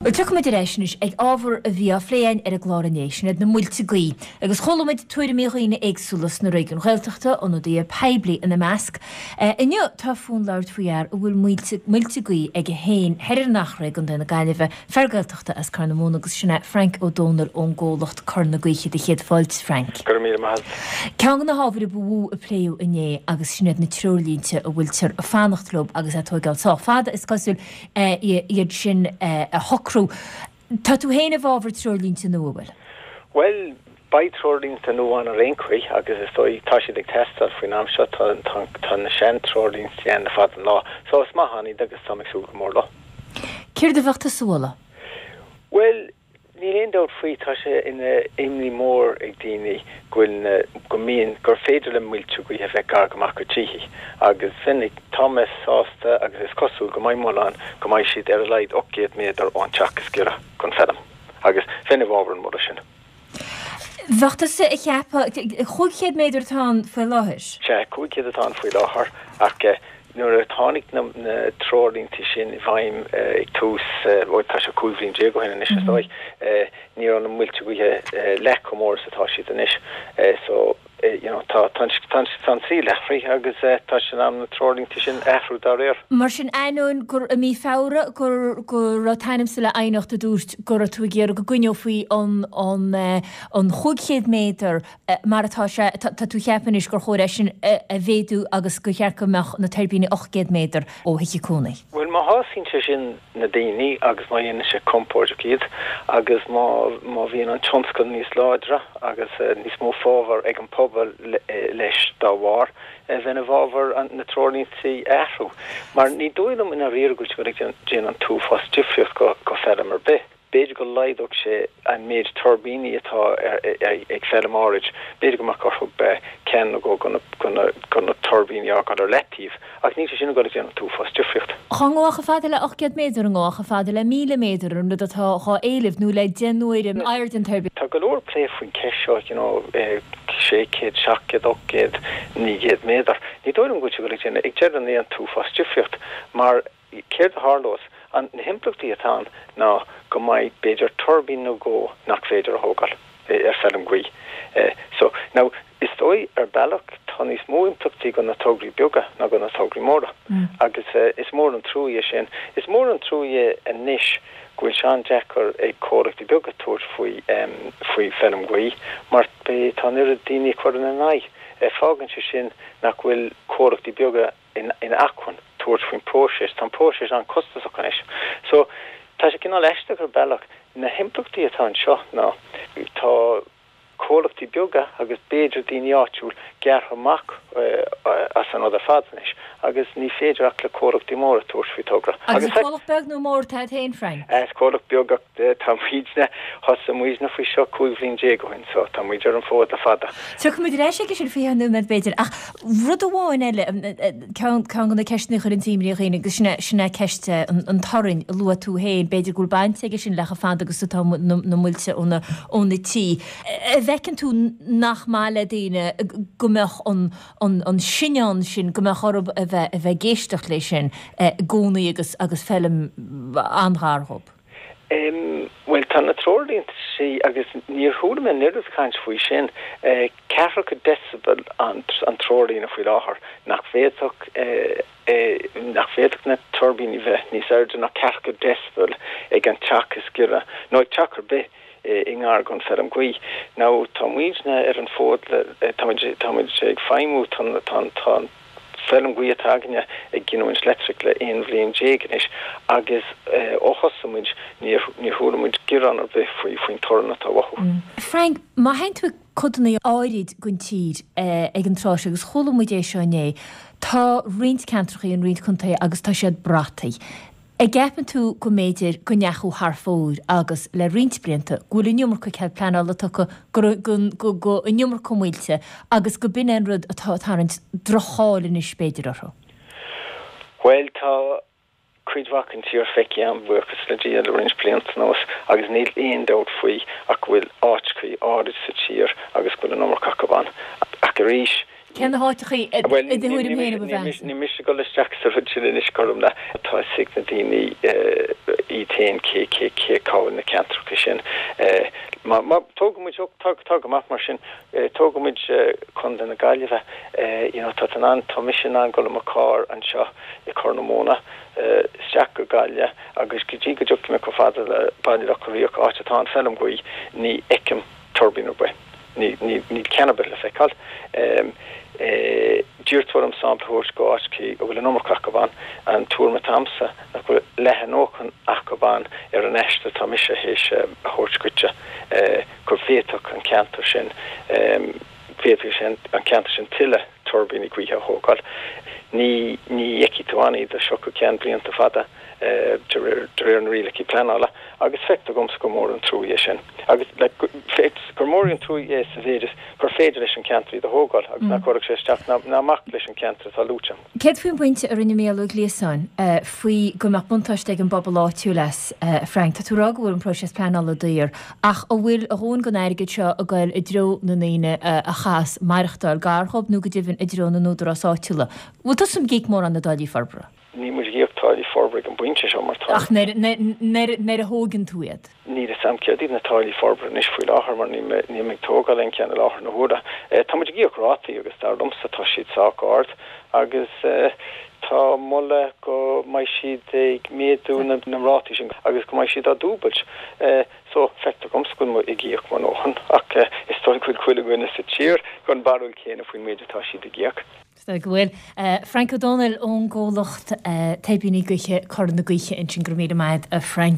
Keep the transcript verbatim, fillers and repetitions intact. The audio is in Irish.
Bhuel, tiocfaimid ar ais anois ag ábhar a bhí á phlé againn ar an gclár inné, sin iad na muilte gaoithe. Agus chuala muid tuairimí dhaoine éagsúla sna réigiúin Ghaeltachta, ionadaithe poiblí ina measc. Inniu tá fúinn labhairt faoi fhear a bhfuil muilte muilte gaoithe aige féin thoir ar an Eachréidh i gContae na Gaillimhe, fear Gaeltachta as Corr na Móna agus sin é Frank Ó Dónaill ón gcomhlacht Cor na Gaoithe. Do chéad fáilte, Frank. Go raibh míle maith agat. Ceann de na hábhair a ba mhó a pléadh inné agus sin iad na treoirlínte a bhfuiltear ag fanacht leo agus é ag tóigeáil sách fada, is cosúil. iad sin a shocrú. Tá tú féin i bhfabhar treoirlínte nua, bhfuil? Bhuel, beidh treoirlínte nua ann ar aon chaoi agus is dóigh, tá siad ag teastáil faoin am seo, tá, tá, tá na sean-treoirlínte ann le fada an lá. So is maith ann iad agus táim ag súil go mór leo. Céard a bheadh tusa a mholadh? Bhuel, Níl aon dabht faoi, tá sé ina imní mór ag daoine go bhfuil na, go mbíonn, gur féidir le muilte gaoithe bheith gar go maith go tithe agus bheinn ag, tá mé sásta agus is cosúil go mbeidh moladh ann go mbeidh siad ar a laghad ocht gcéad méadar ón teach is giorra don feilm agus bheinn i bhfabhar an mholadh sin. Bheadh tusa ag ceapadh, chúig chéad méadar atá ann faoi láthair? Sea, cúig chéad atá ann faoi láthair ach Nuair a tháinig na treoirlínte sin i bhfeidhm ag tús, bhuel tá sé cúig bhliain déag ó shin anois is dóigh, ní raibh na muilte gaoithe leath chomh mór is atá siad anois. So, you know, tá, tá an, tá an, tá an saol athraithe agus tá sé in am na treoirlínte sin a athrú dá réir. Mar sin, ainneoin gur i mí Feabhra gur, go raibh t'ainmse le aighneacht a dúirt go raibh tú ag iarraidh go gcoinneofaí an, an, an chúig chéad méadar Mar atá sé, tá tú ag ceapadh anois gur chóir é sin a mhéadú agus gur cheart go mbeadh na tuirbíní ocht gcéad méadar ó thithe cónaí. Bhuel, má shásaíonn sé sin na daoine agus má dhéanann sé compordach iad agus má má bhíonn an tionscal níos láidre agus níos mó fábhar ag an pobal leis dá bharr, bheinn i bhfabhar na treoirlínte a athrú. Mar ní dóigh liom i ndáiríre go bhfuil sé ag déanamh an t-uafás difríocht go feirm ar bith. B'fhéidir go laghdódh sé an méid tuirbíní atá ag feilm áirid, b'fhéidir go mbeadh orthu ceann nó dhó de na tuirbíní a fhágáil ar leataobh, ach níl sé sin ag dul ag déanamh an t-uafás difríocht. Dhá ngabhfá chomh fada le ocht gcéad méadar, an ngabhfá chomh fada le míle méadar, an rud atá dhá éileamh, nó le deich n-uaire airde an tuirbín. Tá go leor plé faoin cheist seo, you know, sé chéad, seacht gcéad, ocht gcéad, naoi gcéad méadar. Ní dóigh liom go bhfuil sé ag dul ag déanamh, ag deireadh an lae, an t-uafás difríocht, mar Céard a tharlós? An, na himpleachtaí atá ann ná go mbeidh b'fhéidir tuirbín nó dhó nach féidir a thógáil ar feilm gaoithe. So, now, is dóigh ar bealach tá níos mó impleachtaí go na tograí beaga ná go na tograí móra. Agus is mór an trua é sin. Is mór an trua é anois go bhfuil sé an-deacair ag comhlachtaí beaga tabhairt faoi, faoi feilm gaoithe mar tá an oiread daoine ag cur ina n-aghaidh. Fágann sé sin nach bhfuil comhlachtaí beaga in acmhainn tabhairt faoin bpróiseas. Tá an próiseas an-chostasach anois. So, tá sé cineál aisteach ar bealach. Na himpleachtaí atá anseo ná tá comhlachtaí beaga agus b'fhéidir daoine áitiúil gearrtha amach as an rud ar fad anois agus ní féidir ach le comhlachtaí móra tabhairt faoi togra. Agus an comhlacht beag nó mór atá agat féin, Frank? Is comhlacht beag ach tá muidne, thosaigh muidne faoi seo cúig bhliain déag ó shin so tá muid ar an bhfód le fada. Tiocfaimid ar ais aige sin faoi cheann nóiméad b'fhéidir ach rud amháin eile, ceann de na ceisteanna a chuireann imní ar dhaoine agus sin é, sin é ceist an torainn a luaigh tú féin, b'fhéidir go bhfuil baint aige sin le chomh fada agus atá na muilte ó na, ó na tithe. An bhfeiceann tú nach maith le daoine go mbeadh an, an, an sinneán sin, go mbeadh orthu a bheith, a bheith ag éisteacht leis sin i gcónaí agus, agus feilm an-ghar dhób? Bhuel, tá na treoirlínte agus níor chuala mé an oiread caint faoi sin. Ceathracha decibel an treoirlíne faoi láthair, nach bhféadfadh nach bhféadfadh na tuirbíní bheith níos airde ná ceathracha decibel ag an teach is giorra, nó ag teach ar bith i ngar don feirm gaoithe. Now, tá muidne ar an bhfód le, tá muid tá muid ag feidhmiú, tá tá tá an feilm gaoithe atá againne ag giniúint leictreachais le aon bhliain déag anois agus ó thosaigh muid níor níor chuala muid gearán ar bith faoi faoin torann atá uathu. Frank, má théann tú ag codanna áirid den tír ag an tráth seo agus chuala muid é seo inné, tá roinnt ceantracha in roinnt contaetha agus tá siad brataithe. An gceapann tú go mb'fhéidir go ndeachaigh thar fóir agus le roinnt blianta go bhfuil an iomarca cead pleanála tugtha go go go an iomarca muilte agus go b'in é an rud atá ag tarraingt droch-cháil anois b'fhéidir orthu? Bhuel tá cuid mhaith den tír feicthe agam, buíochas le Dia, le roinnt blianta anuas agus níl aon dabht faoi ach go bhfuil áiteachaí áirid sa tír agus go bhfuil an iomarca acu ann. Ach arís, Cé na háiteachaí i do thuairim féin a ba mheasa? Ní mise ag dul isteach sa rud sin anois cothrom le tá a fhios ag na daoine iad féin cé cé cé cá bhfuil na ceantracha sin. Má má tógann muid tá tá go maith mar sin tógann muid Contae na Gaillimhe you know tá tú in ann tá mise in ann dul i mo charr anseo i Corr na Móna isteach go Gaillimh agus go dtí go dtiocfaidh mé chomh fada le Baile Locha Riach áit atá an feilm gaoithe ní fheicim tuirbín ar bith. Níl ceann ar bith le feiceáil. D'iarr tú orm sampla a thabhairt go áiteachaí a bhfuil an iomarca acu ann. An tuairim atá a'msa nach bhfuil leath a ndóthain acu ann ar an aistear atá mise théis a thabhairt dhuitse go bhféadfadh an ceantar sin, bhféadfadh sé an ceantar sin tuilleadh tuirbíní gaoithe a thógáil. Ní fheicfidh tú ann iad as seo go ceann blianta fada. de réir na rialacha pleanála, agus feictear dhomsa gur mór an trua é sin. Agus gur mór an trua é sa mhéid is gur féidir leis an ceantar iad a thógáil agus nach gcuirfeadh sé isteach ná amach leis an ceantar atá luaite. Céard faoin bpointe a rinne Mícheál Ó Gliasáin faoi go mbeadh buntáiste ag an bpobal áitiúil as, a Frank? Tá tú ag rá go bhfuil an próiseas pleanála daor, ach an bhfuil a dhóthain den airgead seo ag goil i dtreo na ndaoine a chaithfeas maireachtáil gar dhóibh nó go deimhin i dtreo na n-údarás áitiúla? Bhfuil tusa ag íoc mórán na dtáillí forbartha? Níl muid ag íoc táillí forbartha ag an bpointe seo mar tá. Ach nuair a thógann tú iad? Níl a fhios a'm céard iad na táillí forbartha anois faoi láthair mar níl mé níl mé ag tógáil aon cheann i láthair na huaire. Tá muid ag íoc rátaí agus dar liomsa tá siad sách ard agus tá moladh go mbeidh siad ag méadú na na rátaí sin agus go mbeidh siad á dúbailt. So feictear dhomsa go bhfuil muid ag íoc mo ndóthain ach is dóigh go bhfuil chuile dhuine sa tír den bharúil chéanna faoin méid atá siad ag íoc. Is dóigh go bhfuil. Frank Ó Dónaill ón gcomhlacht Tuirbíní Gaoithe Cora na Gaoithe ansin. Go raibh míle maith agat a Frank.